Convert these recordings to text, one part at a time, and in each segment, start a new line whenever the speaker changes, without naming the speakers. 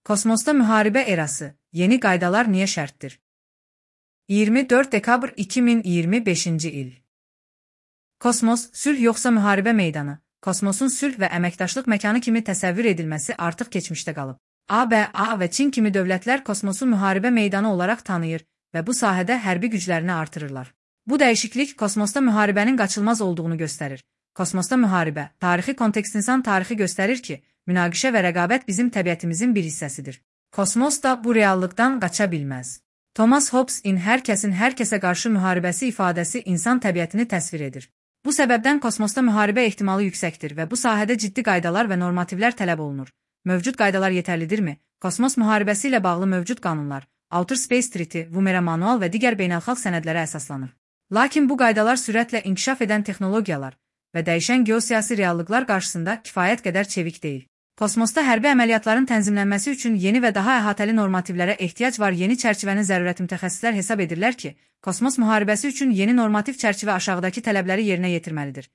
Kosmosda müharibə erası, yeni qaydalar niyə şərtdir? 24 dekabr 2025-ci il. Kosmos, sülh yoxsa müharibə meydanı? Kosmosun sülh və əməkdaşlıq məkanı kimi təsəvvür edilməsi artıq keçmişdə qalıb. ABA və Çin kimi dövlətlər kosmosu müharibə meydanı olaraq tanıyır və bu sahədə hərbi güclərini artırırlar. Bu dəyişiklik kosmosda müharibənin qaçılmaz olduğunu göstərir. Kosmosda müharibə, tarixi kontekst insan tarixi göstərir ki, münaqişə və rəqabət bizim təbiətimizin bir hissəsidir. Kosmos da bu reallıqdan qaça bilməz. Thomas Hobbes-in hər kəsin hər kəsə qarşı müharibəsi ifadəsi insan təbiətini təsvir edir. Bu səbəbdən kosmosda müharibə ehtimalı yüksəkdir və bu sahədə ciddi qaydalar və normativlər tələb olunur. Mövcud qaydalar yetərlidirmi? Kosmos müharibəsi ilə bağlı mövcud qanunlar, Outer Space Treaty, Vumera Manual və digər beynəlxalq sənədlərə əsaslanır. Lakin bu qaydalar sürətlə inkişaf edən texnologiyalar və dəyişən geosiyasi reallıqlar qarşısında kifayət qədər çevik deyil. Kosmosda hərbi əməliyyatların tənzimlənməsi üçün yeni və daha əhatəli normativlərə ehtiyac var. Yeni çərçivənin zərurəti mütəxəssislər hesab edirlər ki, kosmos müharibəsi üçün yeni normativ çərçivə aşağıdakı tələbləri yerinə yetirməlidir.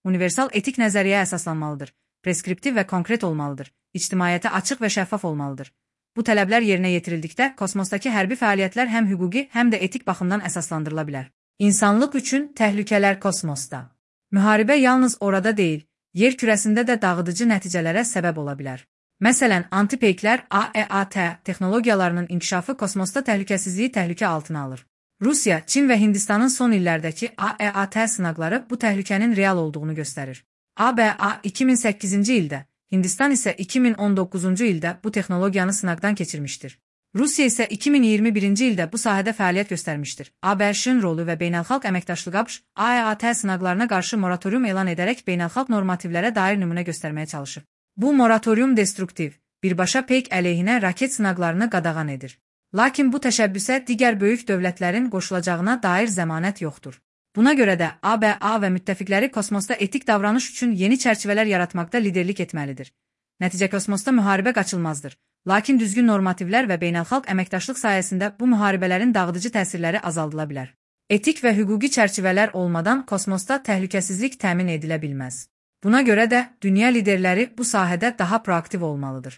Universal etik nəzəriyyəyə əsaslanmalıdır, preskriptiv və konkret olmalıdır, ictimaiyyətə açıq və şəffaf olmalıdır. Bu tələblər yerinə yetirildikdə kosmosdakı hərbi fəaliyyətlər həm hüquqi, həm də etik baxımdan əsaslandırıla bilər. İnsanlıq üçün təhlükələr kosmosda. Müharibə yalnız orada deyil, yer kürəsində də dağıdıcı nəticələrə səbəb ola bilər. Məsələn, antipeyklər AEAT texnologiyalarının inkişafı kosmosda təhlükəsizliyi təhlükə altına alır. Rusiya, Çin və Hindistanın son illərdəki AEAT sınaqları bu təhlükənin real olduğunu göstərir. ABA 2008-ci ildə, Hindistan isə 2019-cu ildə bu texnologiyanı sınaqdan keçirmişdir. Rusiya isə 2021-ci ildə bu sahədə fəaliyyət göstərmişdir. ABŞ-ın rolu və beynəlxalq əməkdaşlıq ABŞ, AEAT sınaqlarına qarşı moratorium elan edərək beynəlxalq normativlərə dair nümunə göstərməyə çalışır. Bu moratorium destruktiv, birbaşa peyk əleyhinə raket sınaqlarını qadağan edir. Lakin bu təşəbbüsə digər böyük dövlətlərin qoşulacağına dair zəmanət yoxdur. Buna görə də ABA və müttəfiqləri kosmosda etik davranış üçün yeni çərçivələr yaratmaqda liderlik etməlidir. Nəticə kosmosda müharibə qaçılmazdır. Lakin düzgün normativlər və beynəlxalq əməkdaşlıq sayəsində bu müharibələrin dağıdıcı təsirləri azaldıla bilər. Etik və hüquqi çərçivələr olmadan kosmosda təhlükəsizlik təmin edilə bilməz. Buna görə də dünya liderləri bu sahədə daha proaktiv olmalıdır.